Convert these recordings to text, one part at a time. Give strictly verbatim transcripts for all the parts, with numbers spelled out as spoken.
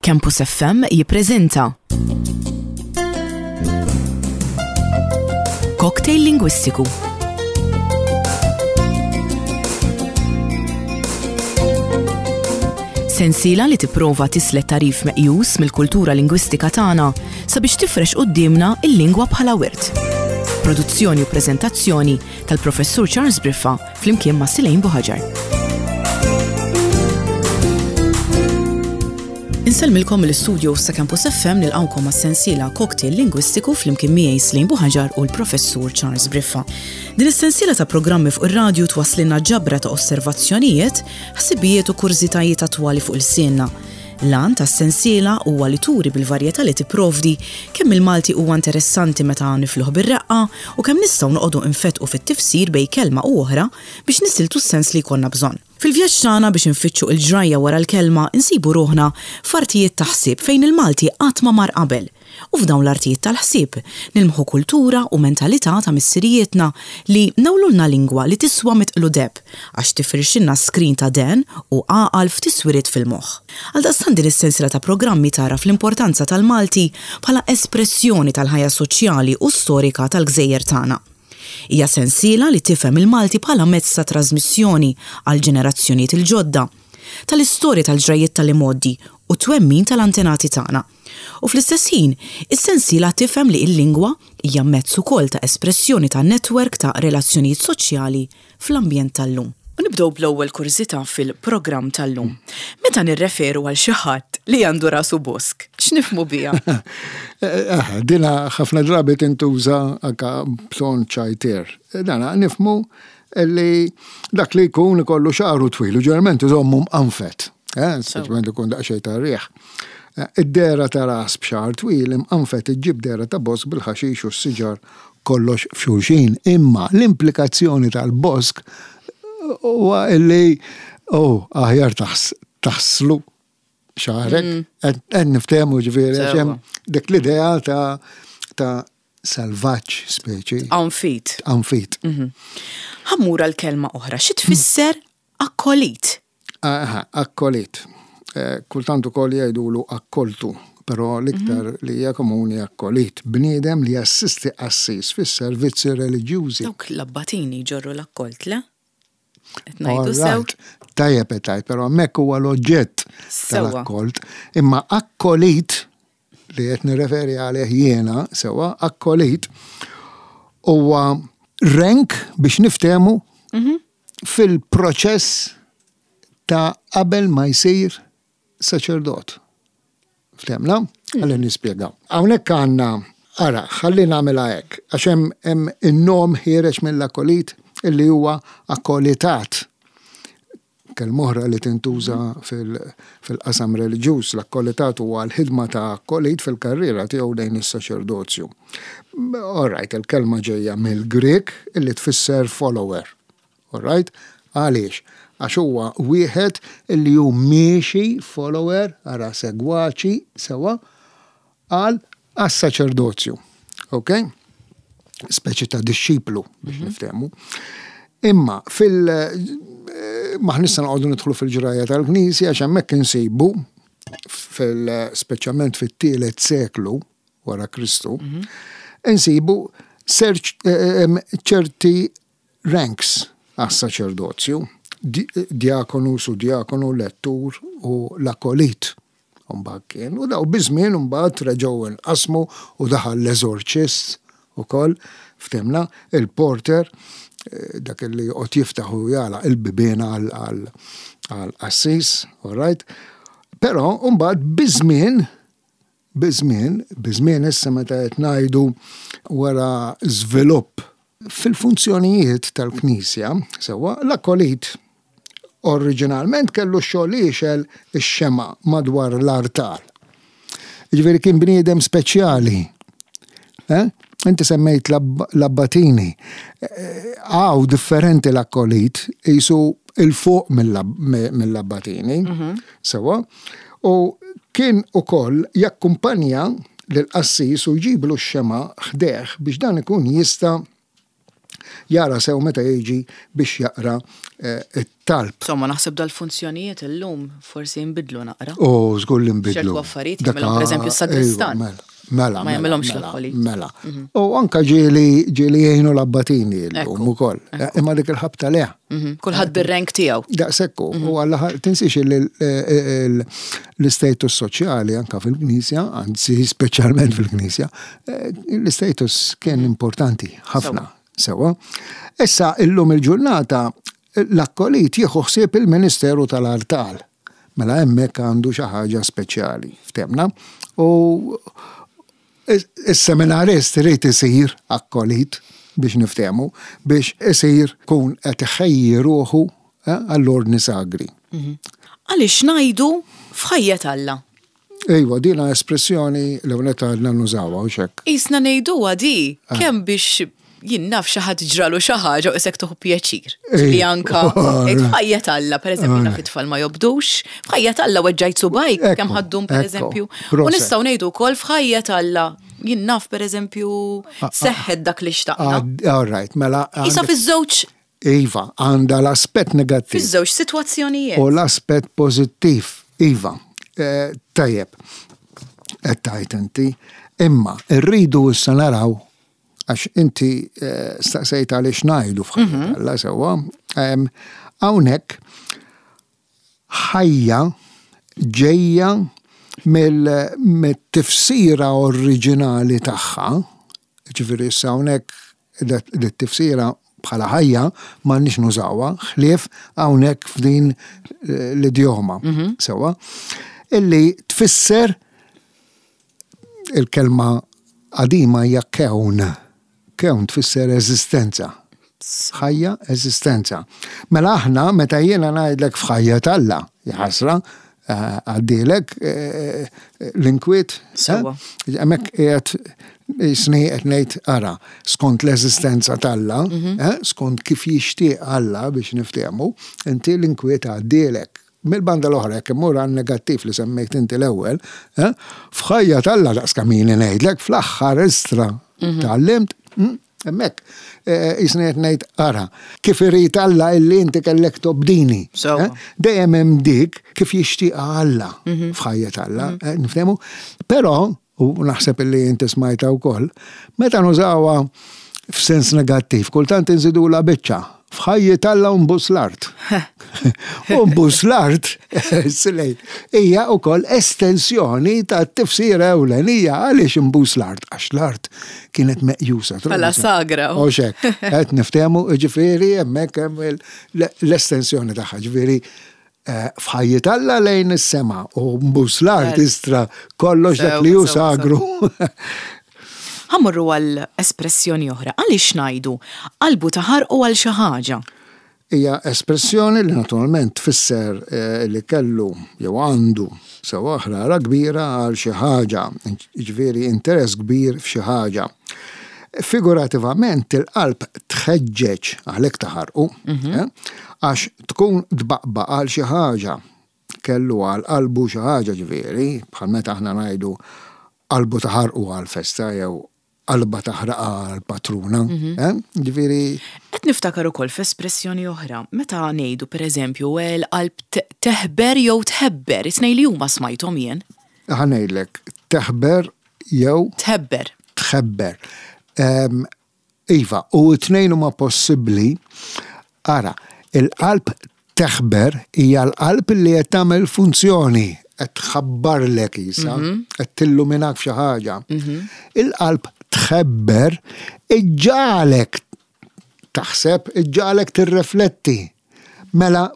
Campus F M jippreżenta Cocktail Lingwistiku. Sensiela li tipprova tislet tarif meqjus mill-kultura lingwistika tagħna sabiex tifrex quddiemna il-lingwa bħala wirt. Produzzjoni u preżentazzjoni tal-Professur Charles Briffa flimkien ma' Silejn Buħaġar. Insellmilkom mill-istudio ta' Campus F M, nilqawkom għas-sensiela Cocktail Lingwistiku flimkien miegħi Slejn Buħaġar u l-Professur Charles Briffa. Din is-sensiela ta' programmi fuq ir-radju twasslilna ġabra ta' osservazzjonijiet, ħsibijiet u kurżitajiet attwali fuq ilsienna. L-għan tas-sensiela huwa li turi bil-varjetà li tipprovdi kemm il-Malti huwa interessanti meta nifluh bir-reqqa u kemm nistgħu noqogħdu infetqu fit-tifsir bejn kelma u oħra biex nisiltu s-sens li jkollna bżonn. Fil-vjaġġ tagħna biex infittxu il-ġrajja wara l-kelma, insibu ruħna f'artijiet ta' ħsieb fejn il-Malti qatt ma mar qabel. U f'dawn l-artijiet tal-ħsieb nilmħu kultura u mentalità ta' missirijietna li newlulna lingwa li tiswa mitqlu deheb għax tifirxilna skrin ta' den u għaqal f'tiswiriet fil-moħħ. Għaldaqstant din is-sensiela ta' programmi tara fl-importanza tal-Malti bħala espressjoni tal-ħajja soċjali u storika tal-gżejjer tagħna. Hija sensiela li tifhem il-Malti bħala mezz ta' trasmissjoni għal ġenerazzjonijiet il-ġodda, tal-istorja, tal-ġrajiet tal-imgħoddi u twemmin tal-antenati tagħna. U fl-istess ħin, is-sensiela tifhem li l-lingwa hija mezz ukoll ta' espressjoni ta' netwerk ta' relazzjonijiet soċjali fl-ambjent tal-lum. U nibdew bl-ewwel kurżità fil-programm tal-lum. Meta nirreferu għal xi ħadd li għandu rasu bosk, x'nifhmu biha? Eh, dina ħafna drabi tintuża anka b'ton ċajtier. Dana nifhmu li dak li jkun ikollu xagħru twil u ġeneralment iżommu mqanfet. Eh, speċjalment ikun daqsxejn ta' riħ. Eh, Id-dehra ta' ras b'xagħar twil imqanfet iġġib dehra ta' bosk bil-ħaxix u s-siġar kollox f'xulxin. Imma l-implikazzjoni tal-bosk huwa illi, oh, aħjar taħslu xagħrek, qed niftehmu, ġifieri, għax hemm dik l-idea ta' ta' salvaġġ speċi. Għanfit. Għanfit. Ħa mmur għal kelma oħra, xi tfisser akkolit? Aha, akkolit. Eh, Kultant ukoll jgħidulu akkoltu, però l-iktar li hija komuni akkolit. Bniedem li jassisti qassis fis-servizzi reliġjużi. Dawk l-abbatini jġorru l-akkolt, le? Qed ngħidu sew? Alright. Tajjeb qed, però hemmhekk huwa l-oġġett Sewwa. tal-akkolt. Imma akkolit li qed nirreferi għalih jiena, sewwa, akkolit huwa rank, biex niftehmu, fil-proċess ta' qabel ma jsir saċerdot. Ftehmna? Ħalli nispjega. Hawnhekk għandna, ara, ħalli nagħmilha hekk, għax hemm hemm in-nom ħiereġ mill-akkolit illi huwa akkolitat. Kelma oħra li tintuża fil-qasam reliġjuż, l-akkolitat huwa l-ħidma ta' akkolit fil-karriera tiegħu lejn is-saċerdozju. All right, il-kelma ġejja mill-Grek illi tfisser follower. All right? Għaliex? Għax huwa wieħed illi hu miexi, follower, ara, segwaċi, sewwa, għal għas-saċerdozju. Ok? Speċi ta' disċiplu biex niftehmu. Imma fil- maħ nista' noqogħdu nidħlu fil-ġrajja tal-Knisja, għax hemmhekk insibu fil speċjalment fit-tielet seklu wara Kristu, insibu ċerti ranks għas-saċerdozju, diakonu, suddiakonu, lettur u l-akolit. Mbagħad kien, u daw biż-żmien mbagħad reġgħu nqasmu u daħal l-eżorċist ukoll, ftehmna, il-porter, dak li joqgħod jiftaħ u jagħlaq il-bibien għal qassis, all right? Però mbagħad biż-żmien biż-żmien, biż-żmien issa meta qed ngħidu wara żvilupp fil-funzjonijiet tal-Knisja, sewwa, l-akolit oriġinalment kellu xogħol li jixgħel ix-xema madwar l-artal. Ġifieri kien bniedem speċjali. Eh? Inti semmejt l-abbatini. Għaw differenti, l-akkolit jisu il-fuq mill-abbatini. Sewwa. U kien ukoll jakkumpanja l-qassis u jġiblu x-xema ħdejh biex dan ikun jista' jara sew meta jiġi biex jaqra it-talb. Insomma, naħseb dal-funzjonijiet illum forsi jinbidlu naqra. Oh, żgur li nbidlu. Ċertu affarijiet jagħmilhom pereżempju s-sagristan. Mela, ma jagħmilhomx mela, l-akkolit. Mela. U anka ġieli ġieli jgħinu l-abbatini llum ukoll. Imma dik il-ħabta le. Kulħadd bir-rank tiegħu. Daqshekk u alla tinsiex l-istatus soċjali anka fil-Knisja, anzi speċjalment fil-Knisja, l-istatus kien importanti ħafna. Sewa. Issa illum il-ġurnata l-akkolit jieħu ħsieb il-Ministeru tal-Artal. Mela hemmhekk għandu xi ħaġa speċjali, ftemna. U is-seminarist irid isir akkolit biex niftehmu, biex isir kun qed iħejji ruħu għall-ordni sagri. Għaliex ngħidu f'ħajja Alla? Ejwa, dina espressjoni li hawnhekk għadna nużawha u xek. Isna ngħiduha di kemm biex jien naf xi ħadd ġralu xi ħaġa u isek tuħu pjaċir. Li anka f'ħajja Alla, pereżempju naf it-tfal ma jobdux, f'ħajja Alla weġġajt subajk kemm ħaddum pereżempju. U nistgħu ngħidu wkoll f'ħajja Alla jien naf pereżempju seħħet dak li xtaqna. All right, mela. Isa fiż-żewġ. Iva, għandha l-aspett negattiv. Fiż-żewġ sitwazzjonijiet. U l-aspett pożittiv, iva. Tajjeb, qed tgħid inti, imma rridu issa naraw għax inti staqsejt għaliex ngħidu f'ħajja Alla sewwa. Hawnhekk ħajja ġejja mill-tifsira oriġinali tagħha, ġifieri issa hawnhekk dit-tifsira bħala ħajja m'għandniex nużawha, ħlief hawnhekk f'din l-idjoma sewwa, illi tfisser il-kelma qadima hija kewn. Kewn tfisser eżistenza. Ħajja, eżistenza. Mela aħna meta jiena ngħidlek f'ħajja t'Alla, ħasra, għaddilek l-inkwiet. Sewwa. Hemmhekk qiegħed jisni qed ngħid ara, skont l-eżistenza t'Alla, skont kif jixtieq Alla biex niftehmu, inti l-inkwiet għaddilek. Mill-banda l-oħra, jekk immur għan negattiv li semmejt inti l-ewwel, f'ħajja t'Alla daqs kamini ngħidlek fl-aħħar istra tgħallimt, hemmhekk jisni qed ngħid ara, kif irid Alla illi inti kellek tobdini. Sewwa. Dejjem hemm dik kif jixtieq Alla f'ħajja t'Alla, niftehmu. Però, u naħseb illi inti smajta wkoll, meta nużawha f'sens negattiv, kultant inżidula biċċa. F'ħajja t'Alla u nbus l-art. U nbus l-art, silejt, hija wkoll estensjoni ta' tifsira ewlenija għaliex nbus l-art, għax l-art kienet meqjusa. Bħala sagra. U xek, qed niftehmu, ġifieri hemmhekk hemm l-estensjoni tagħha, ġifieri f'ħajja t'Alla lejn is-sema u nbus l-art istra kollox dak li hu sagru. Ħa mmorru għal espressjoni oħra, għaliex ngħidu qalbu taħarqu għal xi ħaġa? Hija espressjoni li naturalment tfisser li kellu jew għandu sewa ħrara kbira għal xi ħaġa, jiġifieri interess kbir f'xi ħaġa. Figurativament il-qalb tħeġġeġ għalhekk taħarqu, għax tkun tbaqbaq għal xi ħaġa, kellu għal qalbu xi ħaġa ġifieri, bħal meta aħna ngħidu qalbu taħarqu għal festa jew qalba taħraqa għal patruna, ġifieri. Qed niftakar ukoll f'espressjoni oħra, meta ngħidu pereżempju l-qalb teħber jew tħebber, it-tnejn li huma smajthom jien. Ħa ngħidlek, teħber jew Tħebber. Tħebber. Iva, u t-tnejn huma possibbli. Ara, il-qalb teħber hija l-qalb li qed tagħmel funzjoni, qed tħabbarlek isa, qed tilluminak f'xi ħaġa. Il-qalb tħebber iġġalek taħseb, iġġalek tirrefletti. Mela,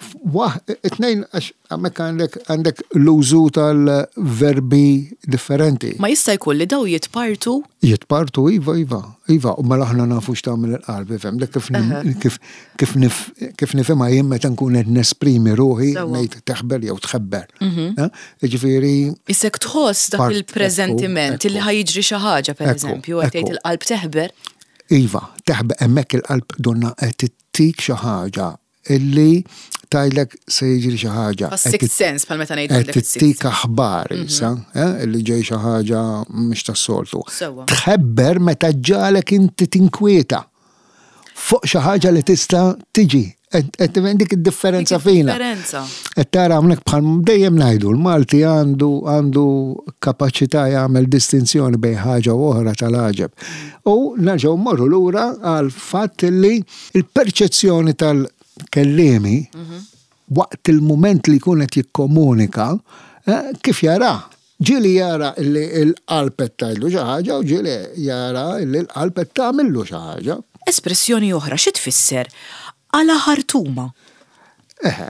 it-tnejn, għax hemmhekk għandek, għandek l-użu tal-verbi differenti. Ma jista' jkun li daw jitpartu? Jitpartu, iva, iva, iva, u mela aħna nafu x'tagħmel il-qalb, ifhem, dak kif kif, kif nif, kif nifhimha jien meta nkun qed nesprimi ruħi ngħid teħber jew tħebber. Jiġifieri Isek tħoss dak il-preżentiment li ħajġri xi ħaġa, pereżempju, qed tgħid il-qalb teħber. Iva, teħber hemmhekk il-qalb donna qed tittik xi ħaġa illi tajlek se jiġri xi ħaġa. Sixth sense bħal meta ngħidu Qed tittik aħbar issa, illi ġej xi ħaġa mhux tas-soltu. Tħebber meta ġalek inti tinkwieta. Fuq xi ħaġa li tista' tiġi. Qed dik id-differenza fina. Differenza. Qed tara hawnhekk bħal dejjem ngħidu l-Malti għandu għandu kapaċità jagħmel distinzjoni bejn ħaġa u oħra tal-għaġeb. U nerġgħu mmorru lura għal fatt li il-perċezzjoni tal-kellimi waqt il-mument li jkun qed jikkomunika eh, kif jara. Ġieli jara li l-qalb qed tgħidlu xi ħaġa u ġieli jara li l-qalb qed tagħmillu xi ħaġa. Espressjoni oħra xi tfisser? Għala ħartuma. Eh,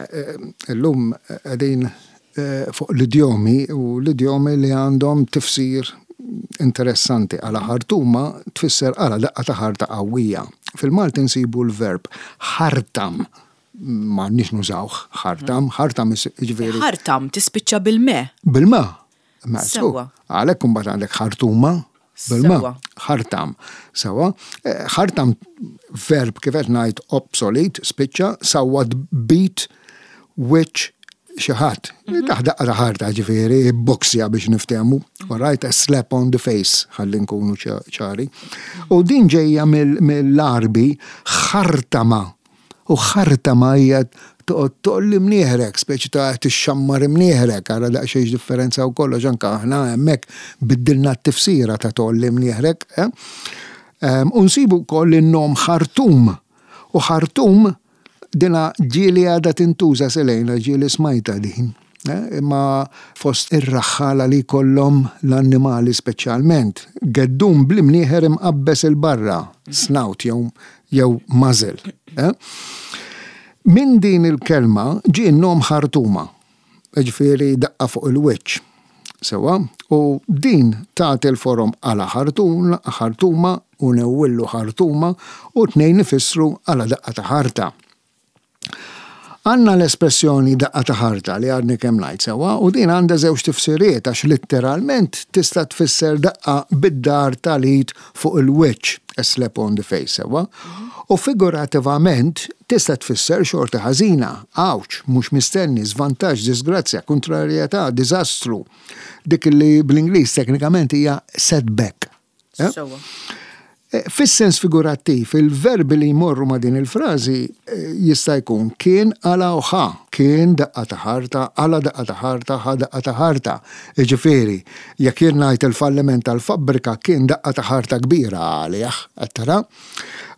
illum qegħdin eh, fuq l-idjomi u l-idjomi li għandhom tifsir interessanti. Għala ħartuma tfisser għala daqqa ta' ħarta qawwija. Fil-Malti nsibu l-verb ħartam. Ma nix nużawh ħartam, ħartam jiġifieri. Ħartam tispiċċa bil-me. Bil-ma. Ma, Sewwa. Għalhekk imbagħad għandek ħartuma bil-ma. Sewwa. Ħartam. Sewwa. Eh, Ħartam verb kif qed ngħid obsolete, spiċċa, sawwat beat which xi ħadd. Tah daqqa ta' ħarta ġifieri, boxja biex niftehmu. All right, a slap on the face, ħalli nkunu ċa- ċari. U din ġejja mill- mill-Għarbi ħartama. U ħartama hija toqgħod tolli mnieħrek, speċi ta' tixxammar imnieħrek, ara daqsxejn differenza u kollox anke aħna hemmhekk biddilna t-tifsira ta' tolli mnieħrek. Eh? Em, U nsibu wkoll in-nom ħartum. U ħartum dina ġieli għadha tintuża selejna, ġieli smajta din. Eh? Imma fost ir-raħħala li kollhom l-annimali speċjalment. Geddum bl-imnieħer imqabbes il-barra, snout jew jew muzzle. Eh? Min din il-kelma ġie n-nom ħartuma, ġifieri daqqa fuq il-wiċċ. Sewwa, u din tagħti l-forom għala ħartuna, ħartuma u newwillu ħartuma u tnejn ifissru għala daqqa ta' ħarta. Għanna l-espressjoni daqqa ta' ħarta li għadni kemm ngħid sewwa, u din għandha żewġ tifsiriet għax letteralment tista' tfisser daqqa bid-dar tal-id fuq il-wiċċ, a slap on the face sewwa, u figurativament tista' tfisser xorta ħażina, għawġ, mhux mistenni, żvantaġġ, disgrazzja, kontrarjetà, diżastru. Dik li bl-Ingliż teknikament hija setback. Eh? Sewwa. Eh, Fis-sens figurattiv, il-verbi li jmorru ma' din il-frażi eh, jista' jkun kien għala u ħa, kien daqqa ta' ħarta, għala daqqa ta' ħarta, ħa daqqa ta' ħarta. Jiġifieri, jekk jien ngħid il-falliment tal-fabbrika kien daqqa ta' ħarta kbira għalih, qed tara?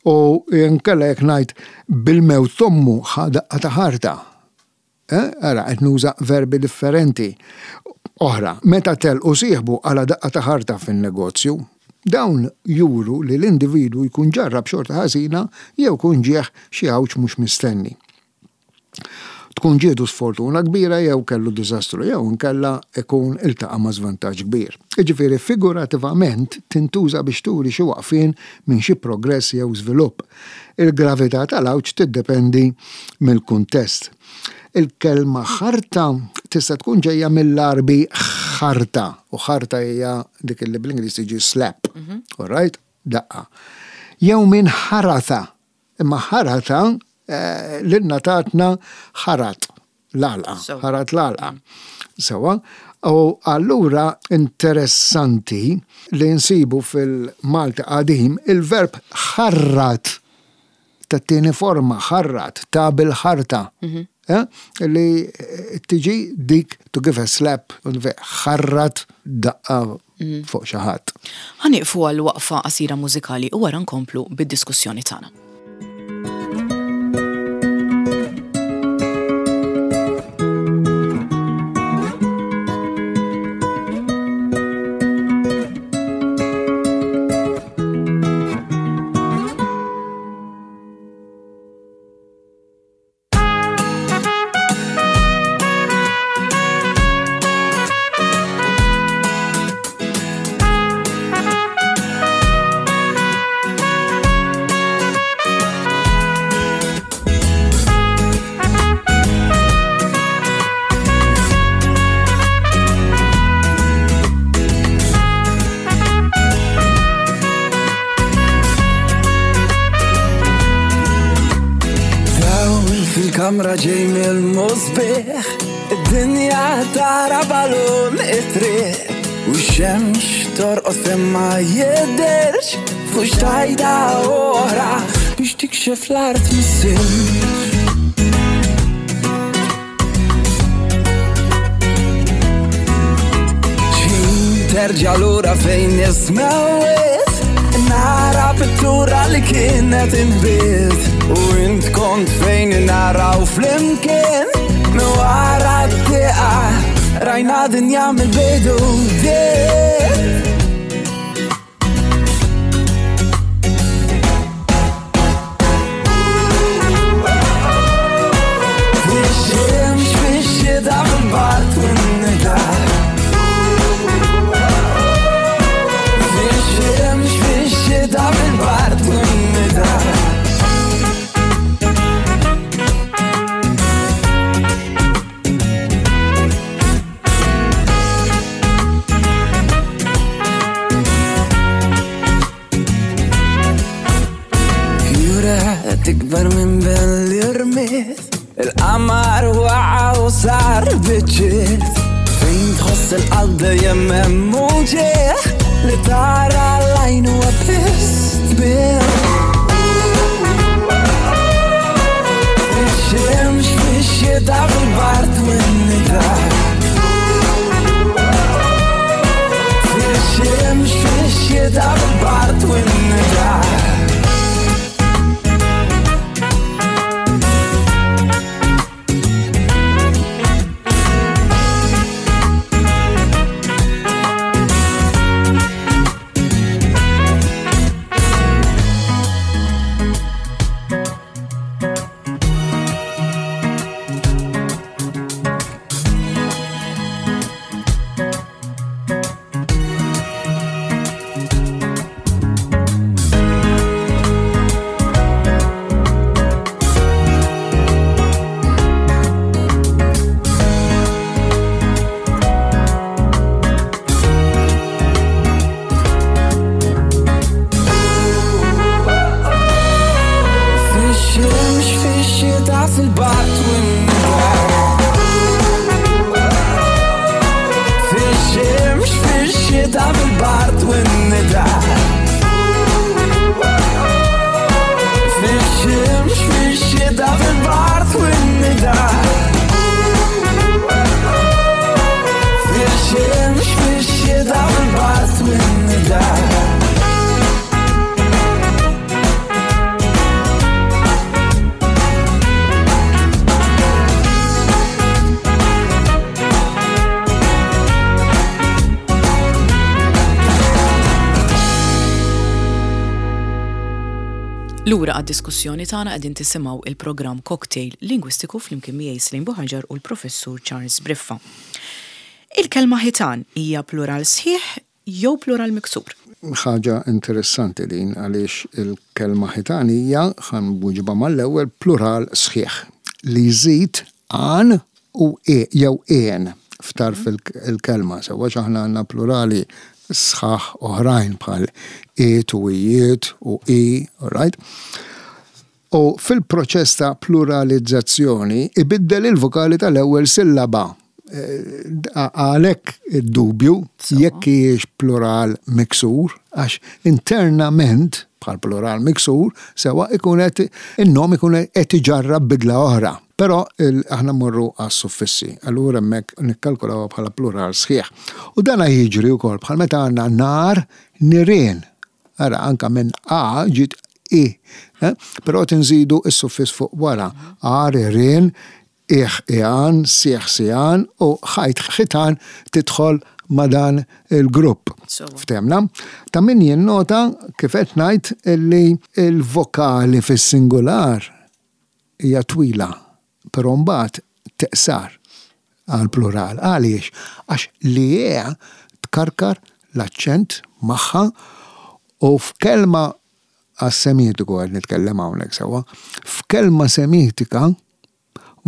U nkella jekk ngħid bil-mewt t'ommu ħa daqqa ta' ħarta. Eh, Ara, qed nuża verbi differenti. Oħra, meta telqu sieħbu għala daqqa ta' ħarta fin-negozju, dawn juru li l-individwu jkun ġarrab xorta ħażina jew kun ġieħ xi għawġ mhux mistenni. Tkun ġiedu sfortuna kbira jew kellu diżastru jew inkella ikun iltaqa' ma' żvantaġġ kbir. Jiġifieri figurativament tintuża biex turi xi waqfien minn xi progress jew żvilupp. Il-gravità tal-għawġ tiddependi mill-kuntest. Il-kelma ħarta tista' tkun ġejja mill-Għarbi ħarta, u ħarta hija dik li bl-Ingliż tiġi slap. All right? Daqqa. Jew minn ħarata. Imma ħarata eh, lilna tatna ħarat l-għalqa, Sewa. ħarat l-għalqa. Sewwa, u allura interessanti li nsibu fil-Malti qadim il-verb ħarrat tat-tieni forma, ħarrat, ta' bil-ħarta. Eh? Li tiġi dik to give a slap, ħarrat daqqa fuq xi ħadd. Ħa nieqfu għal waqfa qasira mużikali u wara nkomplu bid-diskussjoni tagħna. Dawl fil-kamra ġej mill-musbieħ, id-dinja tara balun it-triq, u x-xemx torqod fejn ma jidhirx, fuq xtajta oħra, Biex tikxef l-art mis-silġ. X'ħin terġa' lura fejn ismewwiet, nara pittura li kienet inħbiet, u int kont fejn naraw flimkien. Minn wara d-dieqa rajna dinja mill-bidu bdiet. Fix-xemx, fix-xita, fil-bard u n-nida. Fix-xemx, fix-xita, fil-bard u n-nida. Tikbar minn ben li rmiet, il-qamar waqa' u sar biċċiet. Fejn tħoss il-qalb dejjem hemm uġigħ, li tara l-għajn huwa biss tbigħ. Fix-xemx, fix-xita, fil-bard u n-nida. Fix-xemx, fix-xita, fil-bard u n-nida. Lura għad-diskussjoni tagħna qegħdin tisimgħu il-programm Cocktail Lingwistiku flimkien miegħi Celine Buhagiar u l-Professur Charles Briffa. Il-kelma ħitan hija plural sħiħ jew plural miksur? Ħaġa interessanti din, għaliex il-kelma ħitan hija, ħa nweġibha mal-ewwel, plural sħiħ li jżid għan u e jew en f'tarf il-kelma, sewwa aħna għandna plurali sħaħ oħrajn bħal et u ijiet u i, all right? U fil-proċess ta' pluralizzazzjoni ibiddel il-vokali tal-ewwel sillaba. Għalhekk id-dubju jekk hijiex plural miksur, għax internament bħal plural miksur sewa ikun qed in-nom ikun qed iġarrab bidla oħra. Però aħna mmorru għas-suffissi, allura hemmhekk nikkalkulaw bħala plural sħiħ. U dan jiġri wkoll bħal meta għandna nar nirien. Ara anka minn A ġiet I, eh? Però tinżidu s-suffiss fuq wara. Ar, irien, iħ, iħan, sieħ, siħan u ħajt, ħitan tidħol ma' dan il-grupp. Ftemna. Ta' min jinnota kif qed ngħid li l-vokali fis-singular hija twila, però mbagħad teqsar għal plural. Għaliex? Għax li hija tkarkar l-aċċent magħha u f'kelma għas-semitiku għad nitkellem hawnhekk sewwa, f'kelma semitika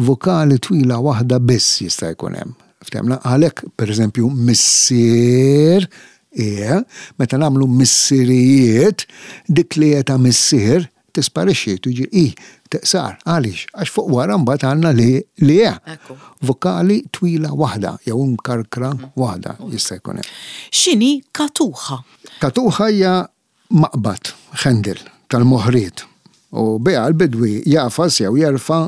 vokali twila waħda biss jista' jkun hemm. Ftemna, għalhekk pereżempju missier, e, meta nagħmlu missirijiet, dik li ta' missier tisparixxi, tiġi i, teqsar. Għaliex? Għax fuq wara mbagħad għandna li li e. Vokali twila waħda jew mkarkra waħda jista' jkun hemm. X'inhi katuħa? Katuħa hija maqbad, ħendil tal-moħriet. U biha l-bidwi jagħfas jew jerfa'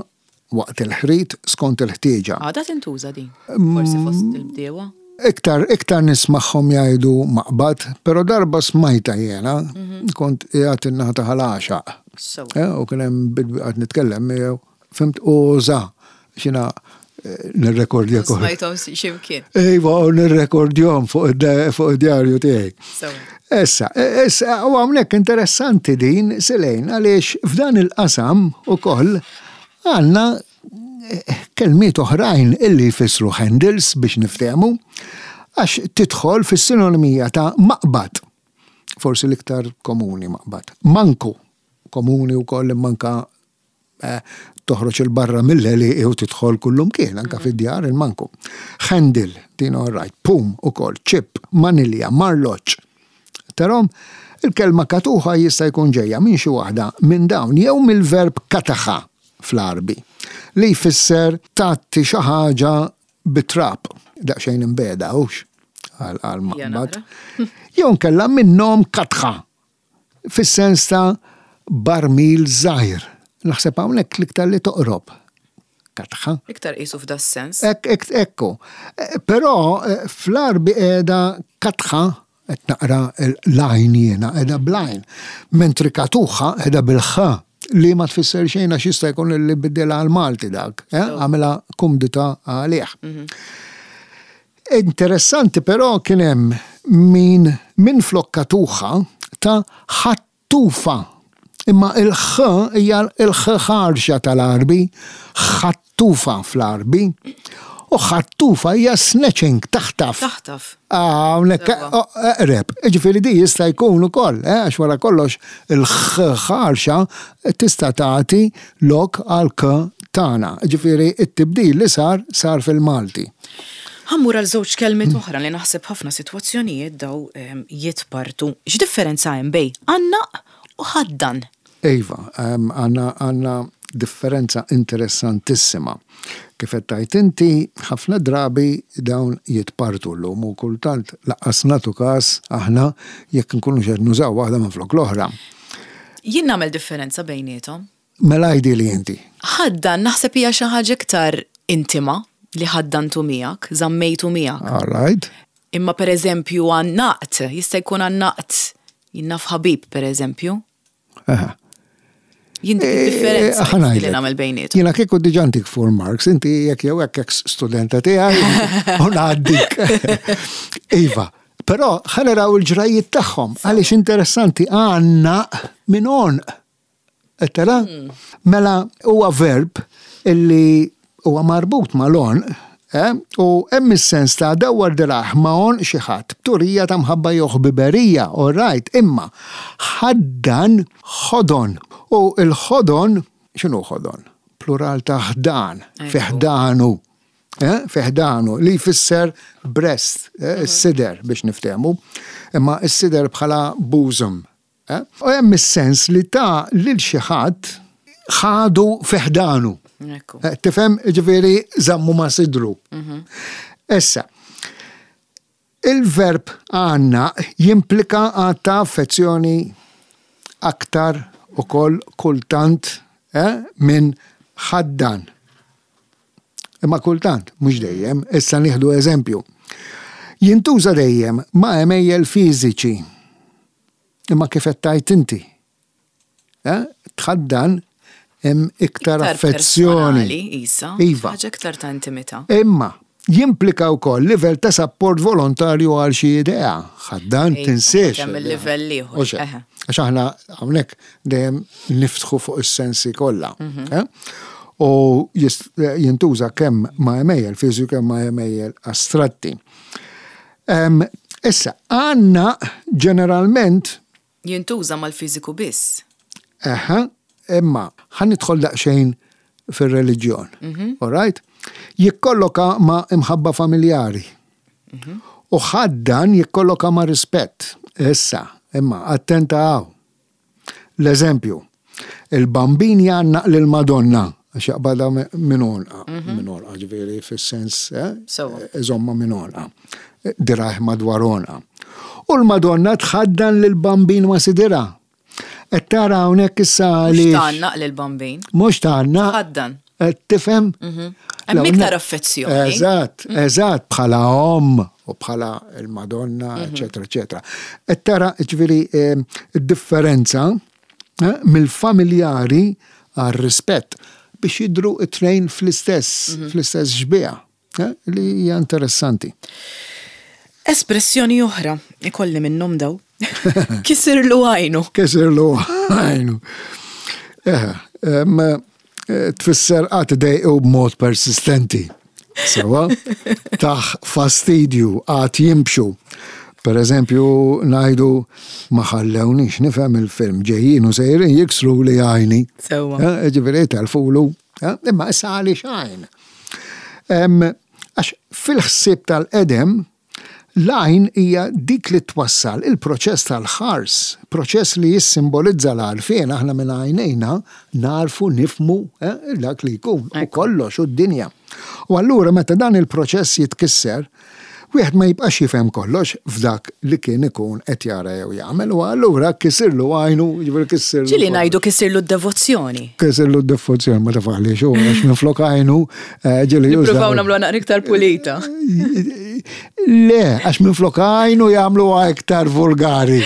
waqt il-ħrit skont il-ħtieġa. Għadha tintuża din, forsi fost il-bdiewa? Iktar, iktar nismagħhom jgħidu maqbad, pero darba smajta jena, kont qiegħed in-naħa ta' Ħal Għaxaq. Eh, u kien hemm bidwi qed nitkellem miegħu, fhimt, uża xina eh, nirrekordja kol. Smajthom x'imkien. Iva, u nirrekordjhom fuq id-djarju tiegħi. Issa, issa, u hawnhekk interessanti din, Selejn, għaliex f'dan il-qasam ukoll għandna kelmiet oħrajn illi jfissru handles biex niftehmu, għax tidħol fis-sinonimija ta' maqbad, forsi l-iktar komuni maqbad. Manku, komuni wkoll manka eh, toħroġ il-barra mill-għelieqi u tidħol kullum kien, anka fid-djar il-manku. Handle, din all right, pum ukoll, chip, manilja, marloċ. Tarom, il-kelma katuħa jista' jkun ġejja minn xi waħda minn dawn jew mill-verb kataħa fl-Arbi, li jfisser tagħti xi ħaġa bit-trab, daqsxejn imbeda hux għal maqbad. Jew nkella minnhom katħa, fis-sens ta' barmil żgħir. Naħseb hawnhekk l-iktar li toqrob. Katħa. Iktar qisu f'da sens. Ek, ek, ekku. Però fl-Arbi qiegħda katħa, qed naqra l-għajn jiena, qiegħda bl-għajn. Mentri katuħa qiegħda bil-ħa, li ma tfisser xejn għax jista' jkun li biddilha għal-Malti dak, eh? Għamilha kumdita għalih. Interessanti però kien hemm min, min flok katuħa ta' ħattufa. Imma il-ħ hija il-ħ ħarxa tal-Arbi, ħattufa fl-Arbi. U ħattufa hija snatching, taħtaf. Taħtaf. Ah, hawnhekk, eqreb. Ġifieri di jista' jkun ukoll, eh, għax wara kollox il-ħarxa tista' tagħti lok għal k tagħna. Ġifieri it-tibdil li sar sar fil-Malti. Ħammur għal żewġ kelmiet oħra li naħseb ħafna sitwazzjonijiet daw jitpartu. X'differenza hemm bejn għannaq u ħaddan? Iva, għandna għandna differenza interessantissima. Kif qed tgħid inti, ħafna drabi dawn jitpartu llum u kultant laqqas nagħtu każ aħna jekk nkunu xed nużaw waħda minn flok l-oħra. Jien nagħmel differenza bejniethom. Mela għidi li inti. Ħaddan naħseb hija xi ħaġa iktar intima li ħaddantu miegħek, żammejtu miegħek. All right. Imma pereżempju għannaqt, jista' jkun għannaqt jien naf ħabib pereżempju. Aha. Jien dik id-differenza Ħa ngħidlek. li nagħmel bejniethom. Jiena kieku diġà ntik four marks, inti jekk jew hekk ex studenta tiegħi u ngħaddik. Iva, però ħa naraw il-ġrajiet tagħhom għaliex interessanti għandna minn għonq. Qed tara? Mela huwa verb illi huwa marbut mal-għonq, eh? U hemm is-sens ta' dawwar dirah ma' għonq xi ħadd b'turija ta' mħabba jew ħbiberija, all right, imma ħaddan ħodon. U il-ħodon, x'inhu ħodon? Plural ta' ħdan, fi ħdanu. Eh? Fi ħdanu, li jfisser breast, eh? Is-sider biex niftehmu, imma s-sider bħala bosom. Eh? U hemm is-sens li ta' lil xi ħadd ħadu fi ħdanu. Ekku. Eh, tifhem, ġifieri żammu ma' sidru. Issa, il-verb għandna jimplika għatta affezzjoni aktar ukoll kultant, eh, minn ħaddan. Imma kultant, mhux dejjem, issa nieħdu eżempju. Jintuża dejjem ma' għemejjel fiżiċi. Imma kif qed tgħid inti? Eh? Tħaddan hemm iktar Iktar affezzjoni. personali, isa. Iva. Ħaġa iktar ta' intimità. Imma jimplika wkoll livell ta' support volontarju għal xi idea. Ħaddan Ejja, tinsiex. hemm il-livell ieħor. U xejn. Eħe. Għax aħna hawnhekk dejjem niftħu fuq is-sensi kollha. Mhm. Eh? U jist-, jintuża kemm ma' għemejjel fiżiku kemm ma' għemejjel astratti. Em, issa, għandna ġeneralment Jintuża mal-fiżiku biss. Eħe, imma ħa nidħol daqsxejn fir-reliġjon. Mhm. All right? Jikkolloka ma' imħabba familjari. Mhm. U ħaddan jikkolloka ma' rispett. Issa, imma attenta hawn. L-eżempju, il-bambin jgħannaq lil-Madonna, għax jaqbadha minn għonqa, Mhm. minn għonqa, ġifieri fis-sens, eh, Sewwa. iżomma minn għonqa, dirajh madwar għonqa. U l-Madonna tħaddan lil-bambin ma' sidira. Qed tara hawnhekk issa Mhux għaliex. tgħannaq lill-Bambin. Mhux tgħannaq. Tħaddan. Qed tifhem? Hemm iktar affezzjoni. Eżatt, eżatt, bħala omm u bħala il-Madonna, eċetera, eċetera. Qed tara, ġifieri, id-differenza eh, mill-familjari għar-rispett biex jidru it-tnejn fl-istess, fl-istess xbieha, eh, li hija interessanti. Espressjoni oħra, ikolli minnhom daw. Kisirlu għajnu. Kisirlu għajnu. Eh, em, eh, tfisser għad dejqu b'mod persistenti. Sewa, tah fastidju, għad jimxu. Per eżempju, ngħidu "Ma ħallewniex nifhem il-film, ġejjin u sejrin jiksru li għajni." Sewa. Eh, Ġifieri telfulu. eh, Imma issa għaliex għajn? Em, Għax fil-ħsieb tal-qedem, l-għajn hija dik li twassal il-proċess tal-ħars, proċess li jissimbolizza l-għarfien. Aħna minn għajnejna narfu, nifhmu eh, dak li jkun u kollox u d-dinja. U allura meta dan il-proċess jitkisser, wieħed ma jibqax jifhem kollox f'dak li kien ikun qed jara jew jagħmel, u allura kisirlu għajnu, ġifieri kisirlu. Ġieli ngħidu kisirlu d-devozzjoni. Kisirlu d-devozzjoni, ma tafaħli xu, għax minflok għajnu eh, ġieli jużaw. Nippruvaw nagħmlu naqra iktar pulita. Le, għax minflok għajnu jagħmlu iktar vulgari.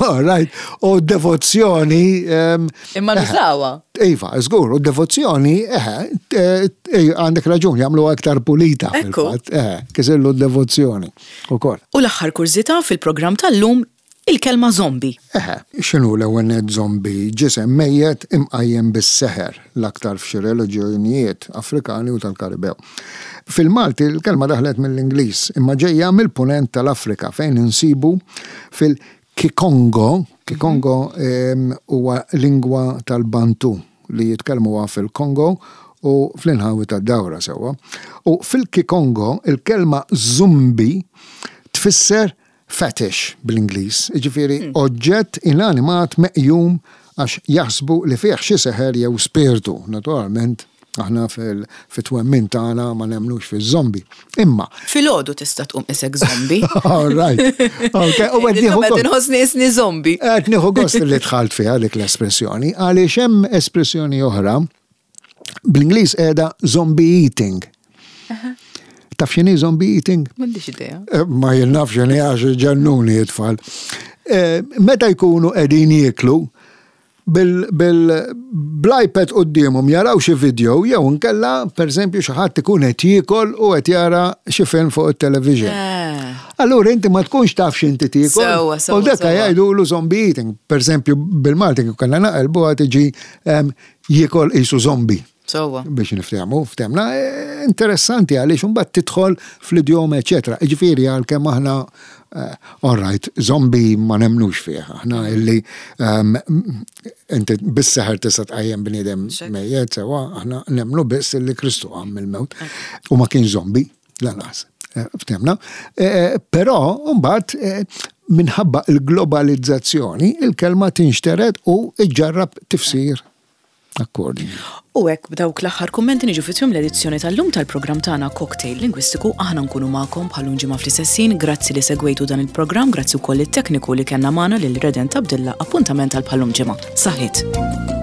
All right. U devozzjoni. em, Imma nużawha. Iva, żgur, u devozzjoni, eħe, eh, eh, għandek raġun, jagħmlu iktar pulita. Ekku. Fil-fatt, eħe, kisirlu d-devozzjoni. Ukoll. U l-aħħar kurżità fil-programm tal-lum, il-kelma zombie. Eħe, x'inhu l-ewwel nett zombie? Ġisem mejjet imqajjem bis-seħer, l-aktar f'xi reliġjonijiet Afrikani u tal-Karibew. Fil-Malti l-kelma daħlet mill-Ingliż, imma ġejja mill-punent tal-Afrika fejn insibu fil-Kikongo. Kikongo em, huwa lingwa tal-Bantu li jitkellmuha fil-Kongo u fl-inħawi tad-dawra, sewwa. U fil-Kikongo il-kelma zumbi tfisser fetish bl-Ingliż, ġifieri oġġett inanimat meqjum għax jaħsbu li fih xi seħer jew spirtu. Naturalment, aħna fil-twemmin tagħna ma nemmnux fiż-zombi. Imma, Filgħodu tista' tqum isek zombie. All right. Okay, u qed nieħu Qed gost- inħossni isni zombie. qed nieħu gost li dħalt fiha dik l-espressjoni, għaliex hemm espressjoni oħra bl-Ingliż qiegħda zombie eating. Taf x'inhi zombie eating? M'għandix idea. Eh, Ma jien naf x'inhi għax ġennuni it-tfal. Eh, Meta jkunu qegħdin jieklu, bil-iPad quddiemhom jaraw xi video jew inkella, pereżempju, xi ħadd ikun qed jiekol u qed jara xi film fuq it-television. Eh. Allura inti ma tkunx taf x'inti tiekol. Sewwa, sewwa, U dak sewwa. jgħidulu zombie eating. Per eżempju, bil-Malti kif kellna naqelbu tiġi em, jiekol qisu zombie Sewwa. Biex niftehmu, ftehmna, eh, interessanti għaliex imbagħad tidħol fl-idjoma, eċetera. Ġifieri għalkemm aħna, eh, all right, zombie ma nemmnux fih. Aħna illi um, inti bis-seħer tista' tqajjem bniedem mejjet, sewwa, aħna nemmnu biss illi Kristu qam mill-mewt u ma kien zombie, lanqas. Eh, Ftehmna. Eh, Però mbagħad eh, minħabba il-globalizzazzjoni il-kelma tinxteret u iġġarrab tifsir accordingly. U hekk b'dawk l-aħħar kummenti niġu fi tmiem l-edizzjoni tal-lum tal-programm tagħna Cocktail Lingwistiku. Aħna nkunu magħkom bħal ġimgħa fl-istess ħin. Grazzi li segwejtu dan il-programm, grazzi wkoll it-tekniku li kellna magħna lil Redent Abdilla. Appuntament għal bħal ġimgħa. Saħħit.